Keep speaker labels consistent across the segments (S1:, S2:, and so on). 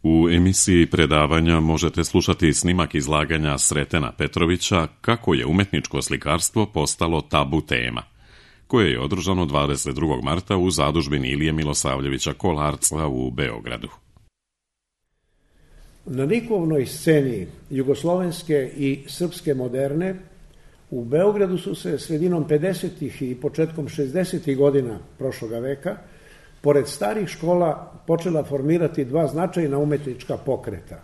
S1: U emisiji predavanja možete slušati snimak izlaganja Sretena Petrovića Kako je umetničko slikarstvo postalo tabu tema, koje je održano 22. marta u zadužbini Ilije Milosavljevića Kolarca u Beogradu.
S2: Na likovnoj sceni jugoslovenske i srpske moderne u Beogradu su se sredinom 50. i početkom 60. godina prošloga veka pored starih škola počela formirati dva značajna umetnička pokreta.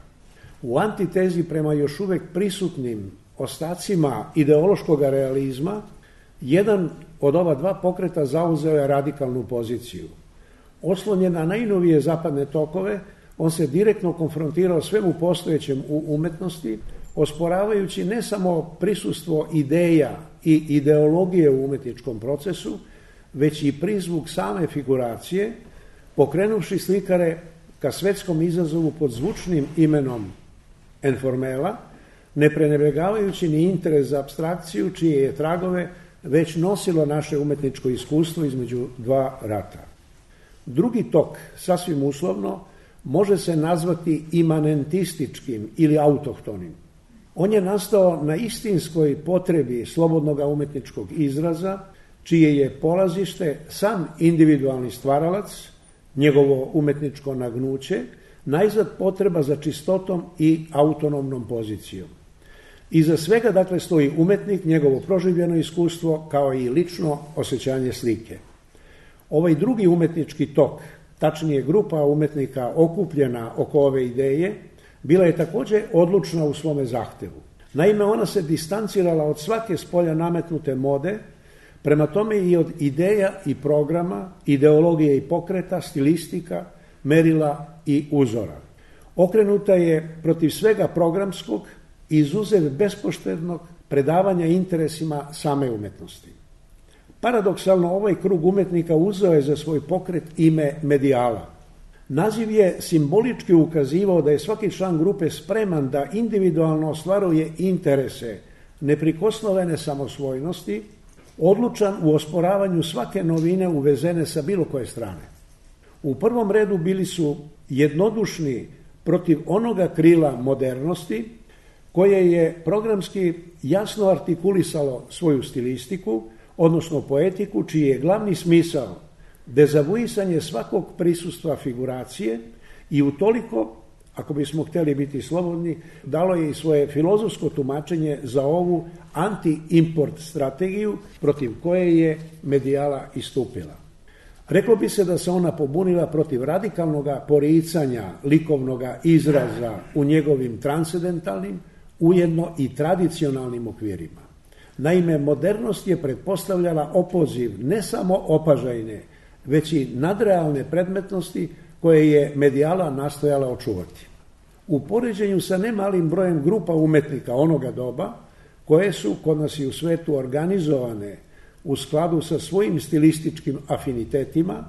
S2: U antitezi prema još uvek prisutnim ostacima ideološkog realizma, jedan od ova dva pokreta zauzeo je radikalnu poziciju. Oslonjen na najnovije zapadne tokove, on se direktno konfrontirao svemu postojećem u umetnosti, osporavajući ne samo prisustvo ideja i ideologije u umetničkom procesu, već i prizvuk same figuracije, pokrenuvši slikare ka svetskom izazovu pod zvučnim imenom Enformela, ne prenebregavajući ni interes za apstrakciju, čije je tragove već nosilo naše umetničko iskustvo između dva rata. Drugi tok, sasvim uslovno, može se nazvati imanentističkim ili autohtonim. On je nastao na istinskoj potrebi slobodnog umetničkog izraza, čije je polazište sam individualni stvaralac, njegovo umetničko nagnuće, najzad potreba za čistotom i autonomnom pozicijom. Iza svega, dakle, stoji umetnik, njegovo proživljeno iskustvo, kao i lično osjećanje slike. Ovaj drugi umetnički tok, tačnije grupa umetnika okupljena oko ove ideje, bila je također odlučna u svome zahtevu. Naime, ona se distancirala od svake spolja nametnute mode, prema tome i od ideja i programa, ideologije i pokreta, stilistika, merila i uzora. Okrenuta je protiv svega programskog, izuzev bespoštednog predavanja interesima same umetnosti. Paradoksalno, ovaj krug umetnika uzeo je za svoj pokret ime medijala. Naziv je simbolički ukazivao da je svaki član grupe spreman da individualno ostvaruje interese neprikosnovene samosvojnosti, odlučan u osporavanju svake novine uvezene sa bilo koje strane. U prvom redu bili su jednodušni protiv onoga krila modernosti koje je programski jasno artikulisalo svoju stilistiku, odnosno poetiku, čiji je glavni smisao dezavuisanje svakog prisustva figuracije i utoliko, ako bismo htjeli biti slobodni, dalo je i svoje filozofsko tumačenje za ovu anti-import strategiju protiv koje je medijala istupila. Reklo bi se da se ona pobunila protiv radikalnog poricanja likovnog izraza u njegovim transcendentalnim, ujedno i tradicionalnim okvirima. Naime, modernost je pretpostavljala opoziv ne samo opažajne, već i nadrealne predmetnosti koje je medijala nastojala očuvati. U poređenju sa nemalim brojem grupa umetnika onoga doba, koje su kod nas i u svetu organizovane u skladu sa svojim stilističkim afinitetima,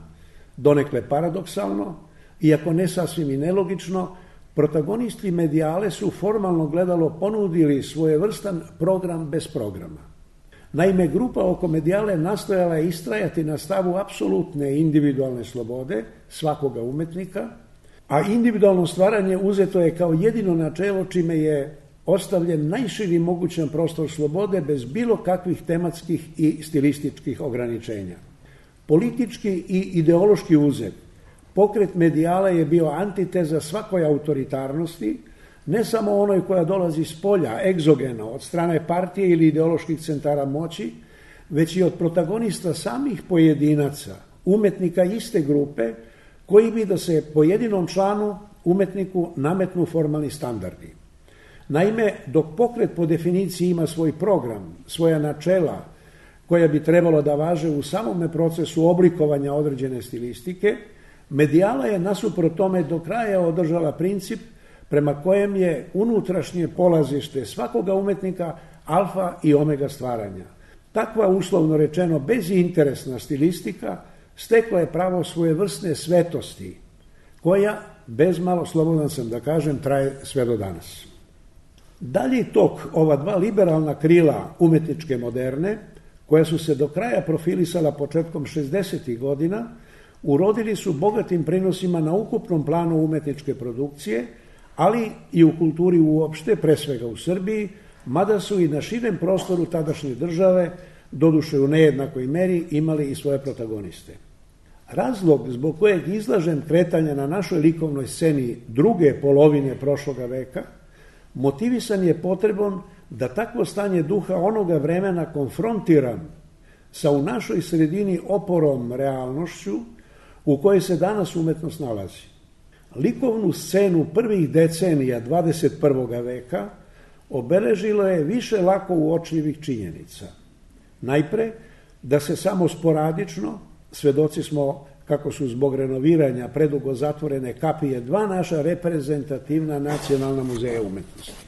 S2: donekle paradoksalno, iako ne sasvim i nelogično, protagonisti medijale su formalno gledalo ponudili svojevrstan program bez programa. Naime, grupa oko medijale nastojala je istrajati na stavu apsolutne individualne slobode svakoga umetnika, a individualno stvaranje uzeto je kao jedino načelo čime je ostavljen najširi mogućan prostor slobode bez bilo kakvih tematskih i stilističkih ograničenja. Politički i ideološki uzet, pokret medijala je bio antiteza svakoj autoritarnosti, ne samo onoj koja dolazi s polja, egzogeno, od strane partije ili ideoloških centara moći, već i od protagonista samih pojedinaca, umetnika iste grupe, koji bi da se pojedinom članu, umetniku, nametnu formalni standardi. Naime, dok pokret po definiciji ima svoj program, svoja načela, koja bi trebalo da važe u samome procesu oblikovanja određene stilistike, medijala je nasuprot tome do kraja održala princip prema kojem je unutrašnje polazište svakoga umetnika alfa i omega stvaranja. Takva, uslovno rečeno, bezinteresna stilistika stekla je pravo svojevrsne svetosti, koja, bezmalo, slobodan sam da kažem, traje sve do danas. Dalji tok ova dva liberalna krila umetničke moderne, koja su se do kraja profilisala početkom 60. godina, urodili su bogatim prinosima na ukupnom planu umetničke produkcije, ali i u kulturi uopšte, pre svega u Srbiji, mada su i na širem prostoru tadašnje države, doduše u nejednakoj meri, imali i svoje protagoniste. Razlog zbog kojeg izlažem kretanja na našoj likovnoj sceni druge polovine prošloga veka motivisan je potrebom da takvo stanje duha onoga vremena konfrontiram sa u našoj sredini oporom realnošću u kojoj se danas umetnost nalazi. Likovnu scenu prvih decenija 21. veka obeležilo je više lako uočljivih činjenica. Najpre, da se samo sporadično, svedoci smo kako su zbog renoviranja predugo zatvorene kapije dva naša reprezentativna nacionalna muzeja umetnosti.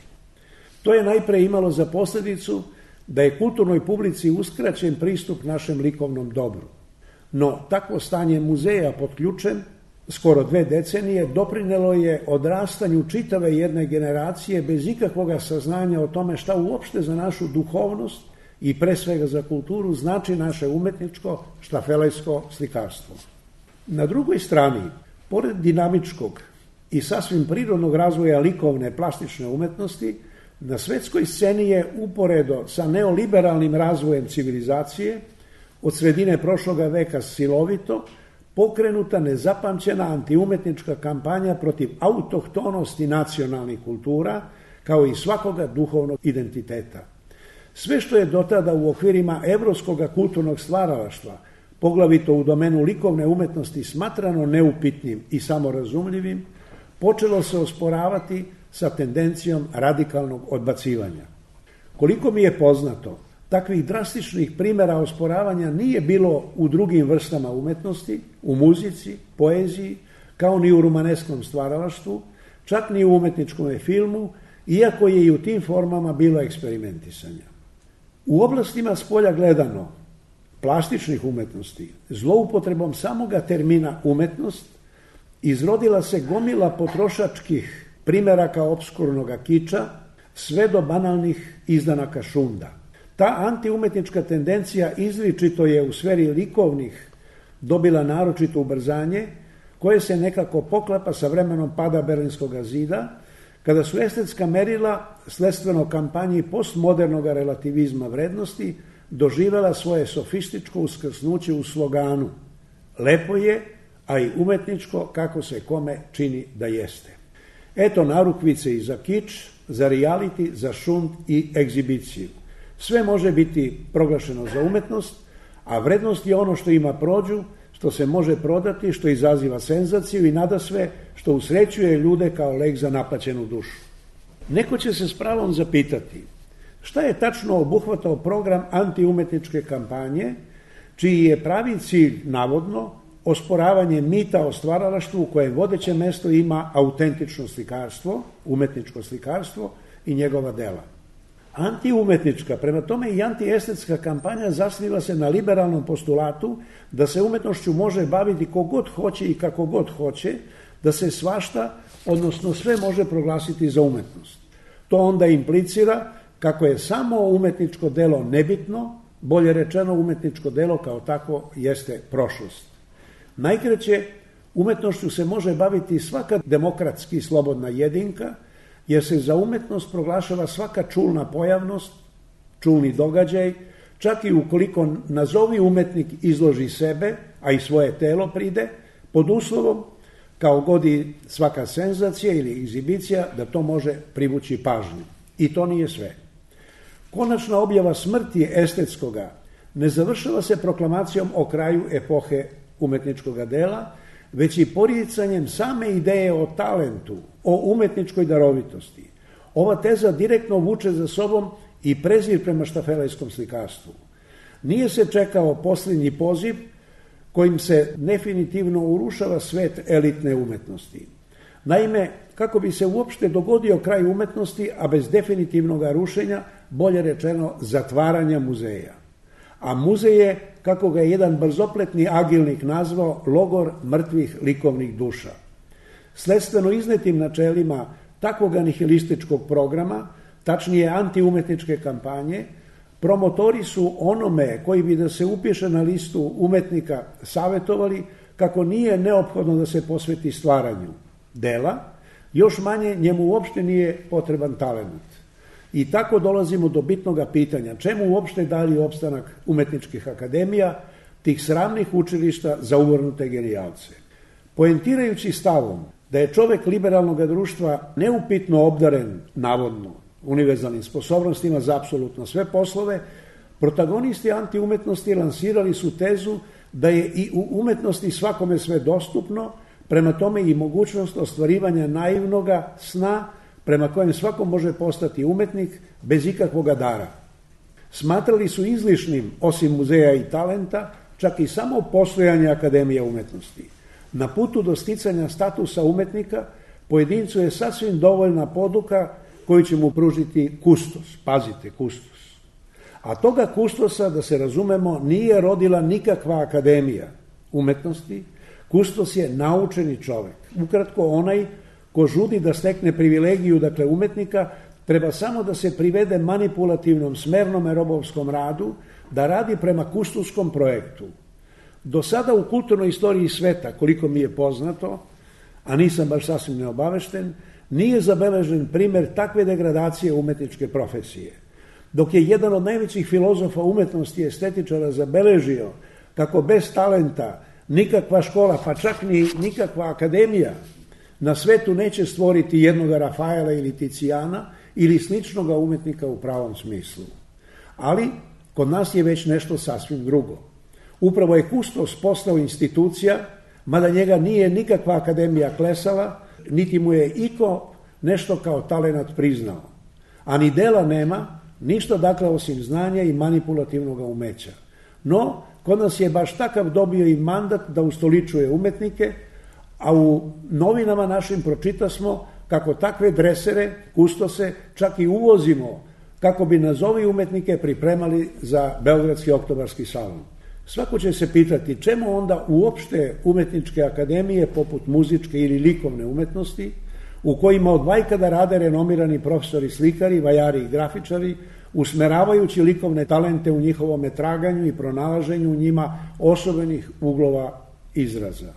S2: To je najpre imalo za posledicu da je kulturnoj publici uskraćen pristup našem likovnom dobru. No, takvo stanje muzeja pod ključem, skoro 2 decenije, doprinelo je odrastanju čitave jedne generacije bez ikakvoga saznanja o tome šta uopšte za našu duhovnost i pre svega za kulturu znači naše umetničko štafelejsko slikarstvo. Na drugoj strani, pored dinamičkog i sasvim prirodnog razvoja likovne plastične umetnosti, na svetskoj sceni je uporedo sa neoliberalnim razvojem civilizacije od sredine prošloga veka silovito pokrenuta nezapamćena antiumetnička kampanja protiv autohtonosti nacionalnih kultura, kao i svakoga duhovnog identiteta. Sve što je dotada u okvirima evropskog kulturnog stvaralaštva, poglavito u domenu likovne umetnosti, smatrano neupitnim i samorazumljivim, počelo se osporavati sa tendencijom radikalnog odbacivanja. Koliko mi je poznato, takvih drastičnih primjera osporavanja nije bilo u drugim vrstama umetnosti, u muzici, poeziji, kao ni u romaneskom stvaralaštvu, čak ni u umetničkom filmu, iako je i u tim formama bilo eksperimentisanja. U oblastima spolja gledano, plastičnih umetnosti, zloupotrebom samoga termina umetnost, izrodila se gomila potrošačkih primeraka opskurnog kiča, sve do banalnih izdanaka šunda. Ta antiumetnička tendencija izričito je u sferi likovnih dobila naročito ubrzanje, koje se nekako poklapa sa vremenom pada Berlinskog zida, kada su estetska merila, sledstveno kampanji postmodernog relativizma vrednosti, doživela svoje sofističko uskrsnuće u sloganu "Lepo je, a i umetničko kako se kome čini da jeste". Eto narukvice i za kič, za reality, za šund i egzibiciju. Sve može biti proglašeno za umetnost, a vrednost je ono što ima prođu, što se može prodati, što izaziva senzaciju i nadasve što usrećuje ljude kao lek za napaćenu dušu. Neko će se s pravom zapitati šta je tačno obuhvatao program antiumetničke kampanje, čiji je pravi cilj, navodno, osporavanje mita o stvaralaštvu u kojem vodeće mesto ima autentično slikarstvo, umetničko slikarstvo i njegova dela. Antiumetnička, prema tome i antiestetska kampanja zasniva se na liberalnom postulatu da se umetnošću može baviti kogod hoće i kako god hoće, da se svašta, odnosno sve može proglasiti za umetnost. To onda implicira kako je samo umetničko delo nebitno, bolje rečeno umetničko delo kao tako jeste prošlost. Najkraće, umetnošću se može baviti svaka demokratski slobodna jedinka, jer se za umetnost proglašava svaka čulna pojavnost, čulni događaj, čak i ukoliko nazovi umetnik izloži sebe, a i svoje telo pride, pod uslovom, kao god i svaka senzacija ili egzibicija, da to može privući pažnju. I to nije sve. Konačna objava smrti estetskoga ne završava se proklamacijom o kraju epohe umetničkog dela, već i poricanjem same ideje o talentu, o umetničkoj darovitosti. Ova teza direktno vuče za sobom i prezir prema štafelejskom slikarstvu. Nije se čekao posljednji poziv kojim se definitivno urušava svet elitne umetnosti. Naime, kako bi se uopšte dogodio kraj umetnosti, a bez definitivnog rušenja, bolje rečeno zatvaranja muzeja. A muzej je, kako ga je jedan brzopletni agilnik nazvao, logor mrtvih likovnih duša. Sledstveno iznetim načelima takvog nihilističkog programa, tačnije antiumetničke kampanje, promotori su onome koji bi da se upiše na listu umetnika savetovali kako nije neophodno da se posveti stvaranju dela, još manje njemu uopšte nije potreban talent. I tako dolazimo do bitnog pitanja, čemu uopšte dali opstanak umetničkih akademija, tih sramnih učilišta za uvrnute genijalce. Poentirajući stavom da je čovek liberalnog društva neupitno obdaren, navodno, univerzalnim sposobnostima za apsolutno sve poslove, protagonisti antiumetnosti lansirali su tezu da je i u umetnosti svakome sve dostupno, prema tome i mogućnost ostvarivanja naivnoga sna prema kojem svako može postati umetnik bez ikakvoga dara. Smatrali su izlišnim, osim muzeja i talenta, čak i samo postojanje Akademije umetnosti. Na putu do sticanja statusa umetnika pojedincu je sasvim dovoljna poduka koju će mu pružiti kustos. Pazite, kustos. A toga kustosa, da se razumemo, nije rodila nikakva akademija umetnosti. Kustos je naučeni čovek. Ukratko, onaj ko žudi da stekne privilegiju, dakle umetnika, treba samo da se privede manipulativnom, smernome robovskom radu, da radi prema kustoskom projektu. Do sada u kulturnoj istoriji sveta, koliko mi je poznato, a nisam baš sasvim neobavešten, nije zabeležen primer takve degradacije umetničke profesije. Dok je jedan od najvećih filozofa umetnosti i estetičara zabeležio kako bez talenta nikakva škola, pa čak ni nikakva akademija na svetu neće stvoriti jednoga Rafaela ili Ticijana ili sličnoga umetnika u pravom smislu. Ali kod nas je već nešto sasvim drugo. Upravo je kustos postao institucija, mada njega nije nikakva akademija klesala, niti mu je iko nešto kao talenat priznao. A ni dela nema, ništa dakle osim znanja i manipulativnog umeća. No, kod nas je baš takav dobio i mandat da ustoličuje umetnike, a u novinama našim pročitasmo kako takve dresere, kustose, čak i uvozimo, kako bi nazovi umetnike pripremali za Beogradski oktobarski salon. Svako će se pitati čemu onda uopšte umetničke akademije poput muzičke ili likovne umetnosti, u kojima od vajkada rade renomirani profesori slikari, vajari i grafičari, usmeravajući likovne talente u njihovom traganju i pronalaženju u njima osobenih uglova izraza.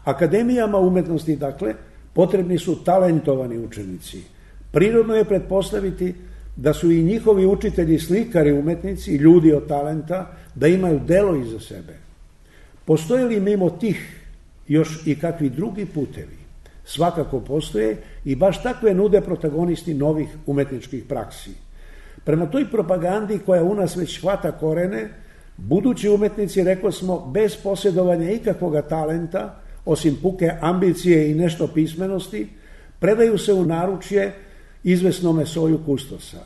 S2: Akademijama umetnosti, dakle, potrebni su talentovani učenici. Prirodno je pretpostaviti da su i njihovi učitelji slikari, umetnici, ljudi od talenta, da imaju delo iza sebe. Postoje li mimo tih još i kakvi drugi putevi? Svakako postoje i baš takve nude protagonisti novih umetničkih praksi. Prema toj propagandi koja u nas već hvata korene, budući umetnici, rekli smo, bez posjedovanja ikakvoga talenta, osim puke ambicije i nešto pismenosti, predaju se u naručje izvesnome soju kustosa.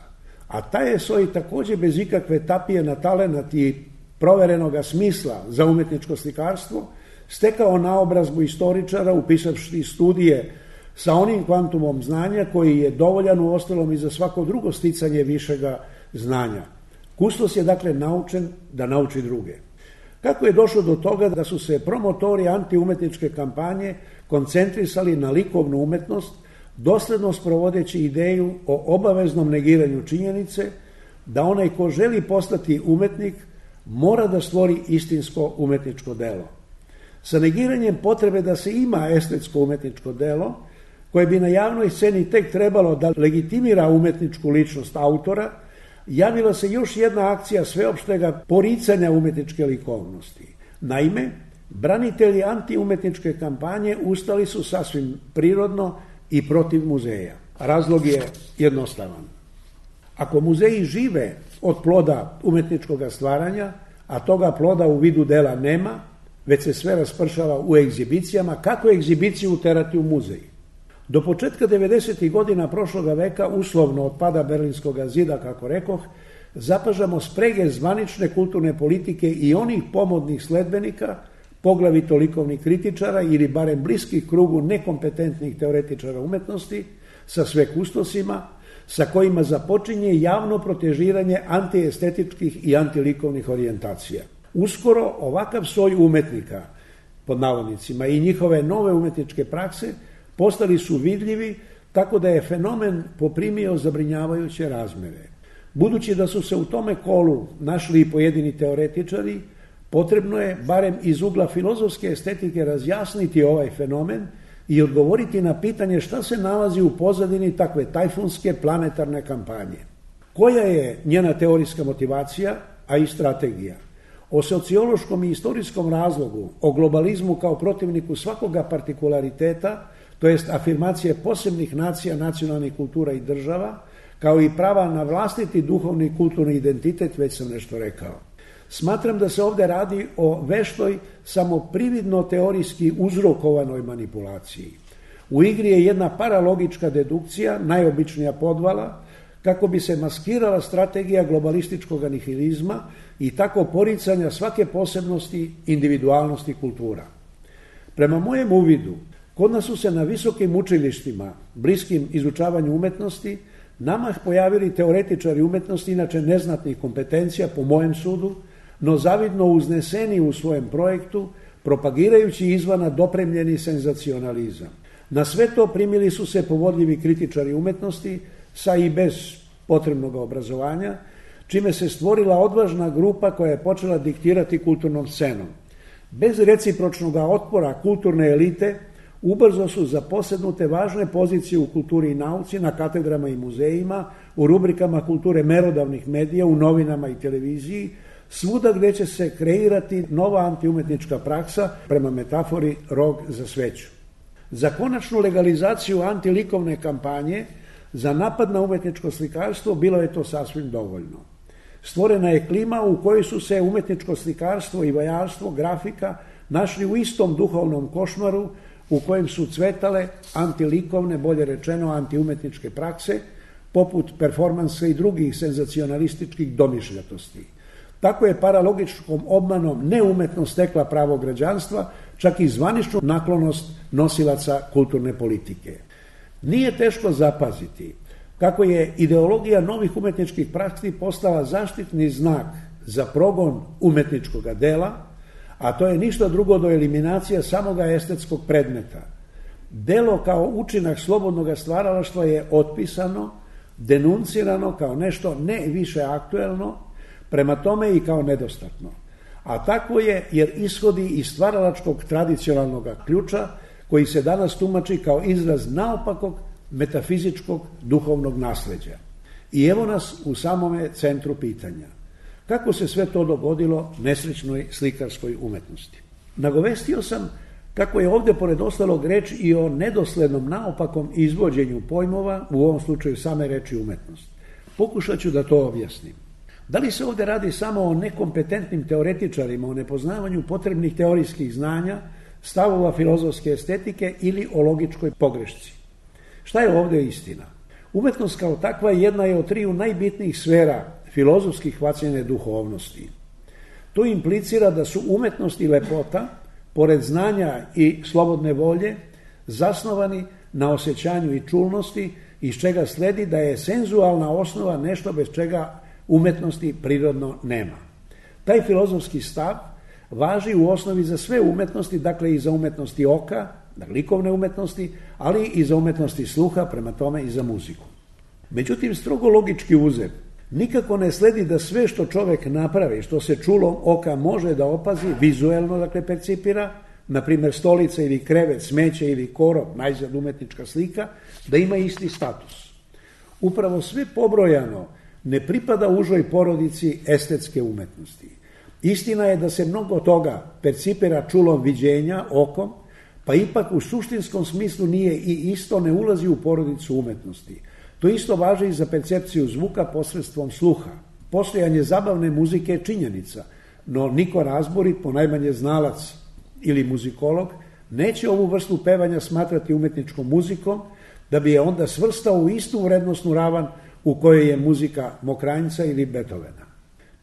S2: A taj je soj također bez ikakve tapije na talenat i proverenoga smisla za umetničko slikarstvo stekao naobrazbu istoričara upisavši studije sa onim kvantumom znanja koji je dovoljan u ostalom i za svako drugo sticanje višega znanja. Kustos je dakle naučen da nauči druge. Kako je došlo do toga da su se promotori antiumetničke kampanje koncentrisali na likovnu umetnost, dosledno sprovodeći ideju o obaveznom negiranju činjenice da onaj ko želi postati umetnik mora da stvori istinsko umetničko delo. Sa negiranjem potrebe da se ima estetsko umetničko delo, koje bi na javnoj sceni tek trebalo da legitimira umetničku ličnost autora, javila se još jedna akcija sveopštega poricanja umetničke likovnosti. Naime, branitelji antiumetničke kampanje ustali su sasvim prirodno i protiv muzeja. Razlog je jednostavan. Ako muzeji žive od ploda umetničkog stvaranja, a toga ploda u vidu dela nema, već se sve raspršava u egzibicijama, kako egzibiciju uterati u muzej? Do početka 90. godina prošloga veka, uslovno od pada Berlinskog zida, kako rekoh, zapažamo sprege zvanične kulturne politike i onih pomodnih sledbenika, poglavito likovnih kritičara ili barem bliskih krugu nekompetentnih teoretičara umetnosti, sa sve kustosima, sa kojima započinje javno protežiranje antiestetičkih i antilikovnih orijentacija. Uskoro ovakav soj umetnika, pod navodnicima, i njihove nove umetničke prakse postali su vidljivi, tako da je fenomen poprimio zabrinjavajuće razmere. Budući da su se u tome kolu našli i pojedini teoretičari, Potrebno je, barem iz ugla filozofske estetike, razjasniti ovaj fenomen i odgovoriti na pitanje šta se nalazi u pozadini takve tajfunske planetarne kampanje. Koja je njena teorijska motivacija, a i strategija? O sociološkom i istorijskom razlogu, o globalizmu kao protivniku svakoga partikulariteta, to jest afirmacije posebnih nacija, nacionalnih kultura i država, kao i prava na vlastiti duhovni i kulturni identitet, već sam nešto rekao. Smatram da se ovdje radi o veštoj, samo prividno teorijski uzrokovanoj manipulaciji. U igri je jedna paralogička dedukcija, najobičnija podvala, kako bi se maskirala strategija globalističkog nihilizma i tako poricanja svake posebnosti, individualnosti kultura. Prema mojem uvidu, kod nas su se na visokim učilištima, bliskim izučavanju umetnosti, namah pojavili teoretičari umetnosti, inače neznatnih kompetencija, po mojem sudu, no zavidno uzneseni u svojem projektu, propagirajući izvana dopremljeni senzacionalizam. Na sve to primili su se povodljivi kritičari umetnosti, sa i bez potrebnog obrazovanja, čime se stvorila odvažna grupa koja je počela diktirati kulturnom scenom. Bez recipročnog otpora kulturne elite, ubrzo su zaposednute važne pozicije u kulturi i nauci, na katedrama i muzejima, u rubrikama kulture merodavnih medija, u novinama i televiziji, svuda gdje će se kreirati nova antiumetnička praksa, prema metafori rog za sveću. Za konačnu legalizaciju antilikovne kampanje, za napad na umetničko slikarstvo bilo je to sasvim dovoljno. Stvorena je klima u kojoj su se umetničko slikarstvo i vajarstvo, grafika našli u istom duhovnom košmaru u kojem su cvetale antilikovne, bolje rečeno antiumetničke prakse, poput performansa i drugih senzacionalističkih domišljatosti. Tako je paralogičkom obmanom neumetnost stekla pravo građanstva, čak i zvaničnu naklonost nosilaca kulturne politike. Nije teško zapaziti kako je ideologija novih umetničkih praksi postala zaštitni znak za progon umetničkog dela, a to je ništa drugo do eliminacija samoga estetskog predmeta. Delo kao učinak slobodnog stvaralaštva je otpisano, denuncirano kao nešto ne više aktuelno, prema tome i kao nedostatno. A tako je jer ishodi iz stvaralačkog tradicionalnog ključa koji se danas tumači kao izraz naopakog metafizičkog duhovnog nasleđa. I evo nas u samome centru pitanja. Kako se sve to dogodilo nesrećnoj slikarskoj umetnosti? Nagovestio sam kako je ovdje pored ostalog reč i o nedoslednom naopakom izvođenju pojmova, u ovom slučaju same reči umetnost. Pokušat ću da to objasnim. Da li se ovdje radi samo o nekompetentnim teoretičarima, o nepoznavanju potrebnih teorijskih znanja, stavova filozofske estetike ili o logičkoj pogrešci? Šta je ovdje istina? Umetnost kao takva jedna je od triju najbitnijih sfera filozofskih hvaćanja duhovnosti. To implicira da su umetnost i lepota, pored znanja i slobodne volje, zasnovani na osjećanju i čulnosti, iz čega sledi da je senzualna osnova nešto bez čega umetnosti prirodno nema. Taj filozofski stav važi u osnovi za sve umetnosti, dakle i za umetnosti oka, likovne umetnosti, ali i za umetnosti sluha, prema tome i za muziku. Međutim, strogo logički uzet, nikako ne sledi da sve što čovjek napravi, što se čulom oka može da opazi, vizuelno dakle percipira, na primjer stolica ili krevet, smeće ili korov, najzad umetnička slika, da ima isti status. Upravo sve pobrojano ne pripada užoj porodici estetske umetnosti. Istina je da se mnogo toga percipira čulom viđenja, okom, pa ipak u suštinskom smislu nije i isto, ne ulazi u porodicu umetnosti. To isto važi i za percepciju zvuka posredstvom sluha. Postojanje zabavne muzike je činjenica, no niko razborit, ponajmanje znalac ili muzikolog, neće ovu vrstu pevanja smatrati umetničkom muzikom, da bi je onda svrstao u istu vrednosnu ravan u kojoj je muzika Mokranjca ili Beethovena.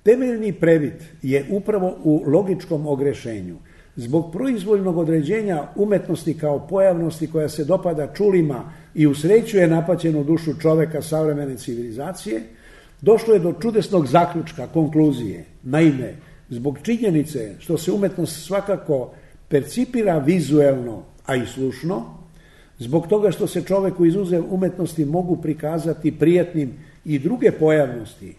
S2: Temeljni previd je upravo u logičkom ogrešenju. Zbog proizvoljnog određenja umetnosti kao pojavnosti koja se dopada čulima i usrećuje napaćenu dušu čoveka savremene civilizacije, došlo je do čudesnog zaključka, konkluzije. Naime, zbog činjenice što se umetnost svakako percipira vizuelno, a i slušno, zbog toga što se čoveku izuzev umetnosti mogu prikazati prijatnim i druge pojavnosti,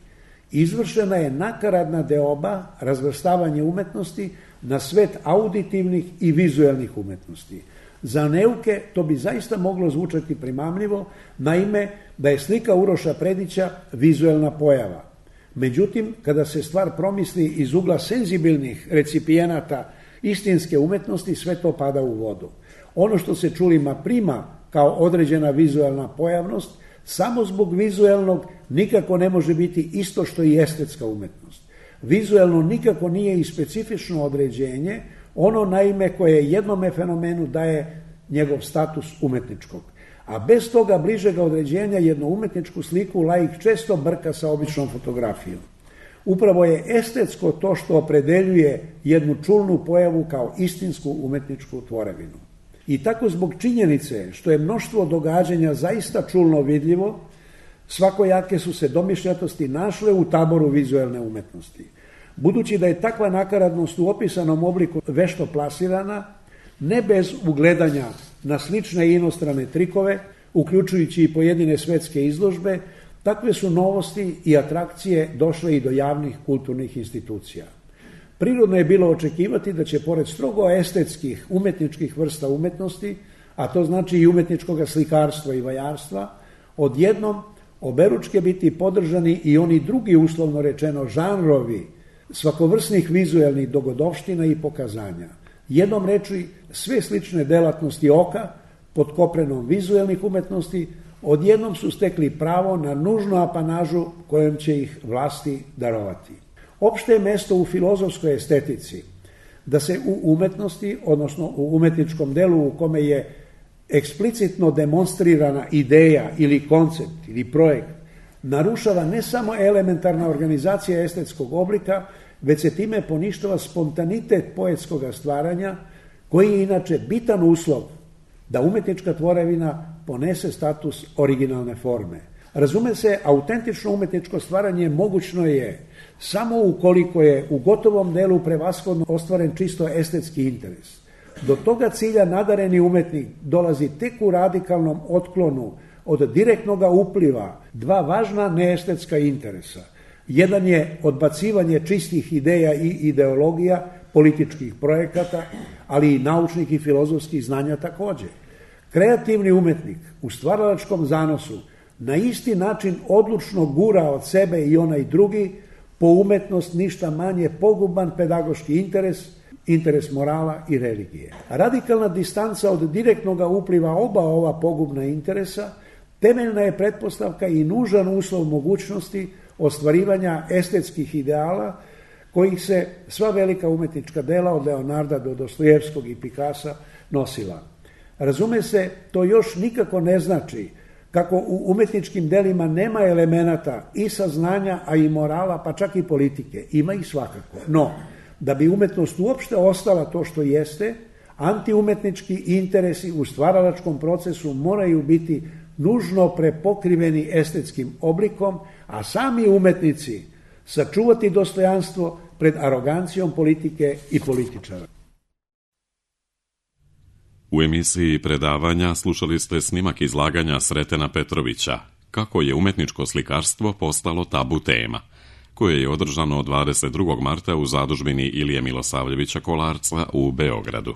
S2: izvršena je nakaradna deoba, razvrstavanje umetnosti na svet auditivnih i vizuelnih umetnosti. Za neuke to bi zaista moglo zvučati primamljivo, naime da je slika Uroša Predića vizuelna pojava. Međutim, kada se stvar promisli iz ugla senzibilnih recipijenata istinske umetnosti, sve to pada u vodu. Ono što se čulima prima kao određena vizuelna pojavnost, samo zbog vizuelnog nikako ne može biti isto što i estetska umetnost. Vizuelno nikako nije i specifično određenje, ono naime koje jednome fenomenu daje njegov status umetničkog. A bez toga bližega određenja jednu umetničku sliku laik često brka sa običnom fotografijom. Upravo je estetsko to što opredeljuje jednu čulnu pojavu kao istinsku umetničku tvorevinu. I tako zbog činjenice što je mnoštvo događanja zaista čulno vidljivo, svakojake su se domišljatosti našle u taboru vizuelne umetnosti. Budući da je takva nakaradnost u opisanom obliku vešto plasirana, ne bez ugledanja na slične inostrane trikove, uključujući i pojedine svetske izložbe, takve su novosti i atrakcije došle i do javnih kulturnih institucija. Prirodno je bilo očekivati da će pored strogo estetskih umetničkih vrsta umetnosti, a to znači i umetničkog slikarstva i vajarstva, odjednom oberučke biti podržani i oni drugi, uslovno rečeno, žanrovi svakovrsnih vizuelnih dogodovština i pokazanja. Jednom reči, sve slične delatnosti oka pod koprenom vizuelnih umetnosti odjednom su stekli pravo na nužnu apanažu kojom će ih vlasti darovati. Opšte je mesto u filozofskoj estetici da se u umetnosti, odnosno u umetničkom delu u kome je eksplicitno demonstrirana ideja ili koncept ili projekt, narušava ne samo elementarna organizacija estetskog oblika, već se time poništava spontanitet poetskog stvaranja, koji je inače bitan uslov da umetnička tvorevina ponese status originalne forme. Razume se, autentično umetničko stvaranje mogućno je samo ukoliko je u gotovom delu prevashodno ostvaren čisto estetski interes. Do toga cilja nadareni umetnik dolazi tek u radikalnom otklonu od direktnog upliva dva važna neestetska interesa. Jedan je odbacivanje čistih ideja i ideologija, političkih projekata, ali i naučnih i filozofskih znanja takođe. Kreativni umetnik u stvaralačkom zanosu na isti način odlučno gura od sebe i onaj drugi po umetnost ništa manje poguban pedagoški interes morala i religije. Radikalna distanca od direktnog upliva oba ova pogubna interesa temeljna je pretpostavka i nužan uslov mogućnosti ostvarivanja estetskih ideala kojih se sva velika umetnička dela od Leonarda do Dostojevskog i Pikasa nosila. Razume se, to još nikako ne znači kako u umetničkim delima nema elemenata i saznanja, a i morala, pa čak i politike. Ima ih svakako. No, da bi umetnost uopšte ostala to što jeste, antiumetnički interesi u stvaralačkom procesu moraju biti nužno prepokriveni estetskim oblikom, a sami umetnici sačuvati dostojanstvo pred arogancijom politike i političara.
S1: U emisiji predavanja slušali ste snimak izlaganja Sretena Petrovića Kako je umetničko slikarstvo postalo tabu tema, koje je održano 22. marta u zadužbini Ilije Milosavljevića Kolarca u Beogradu.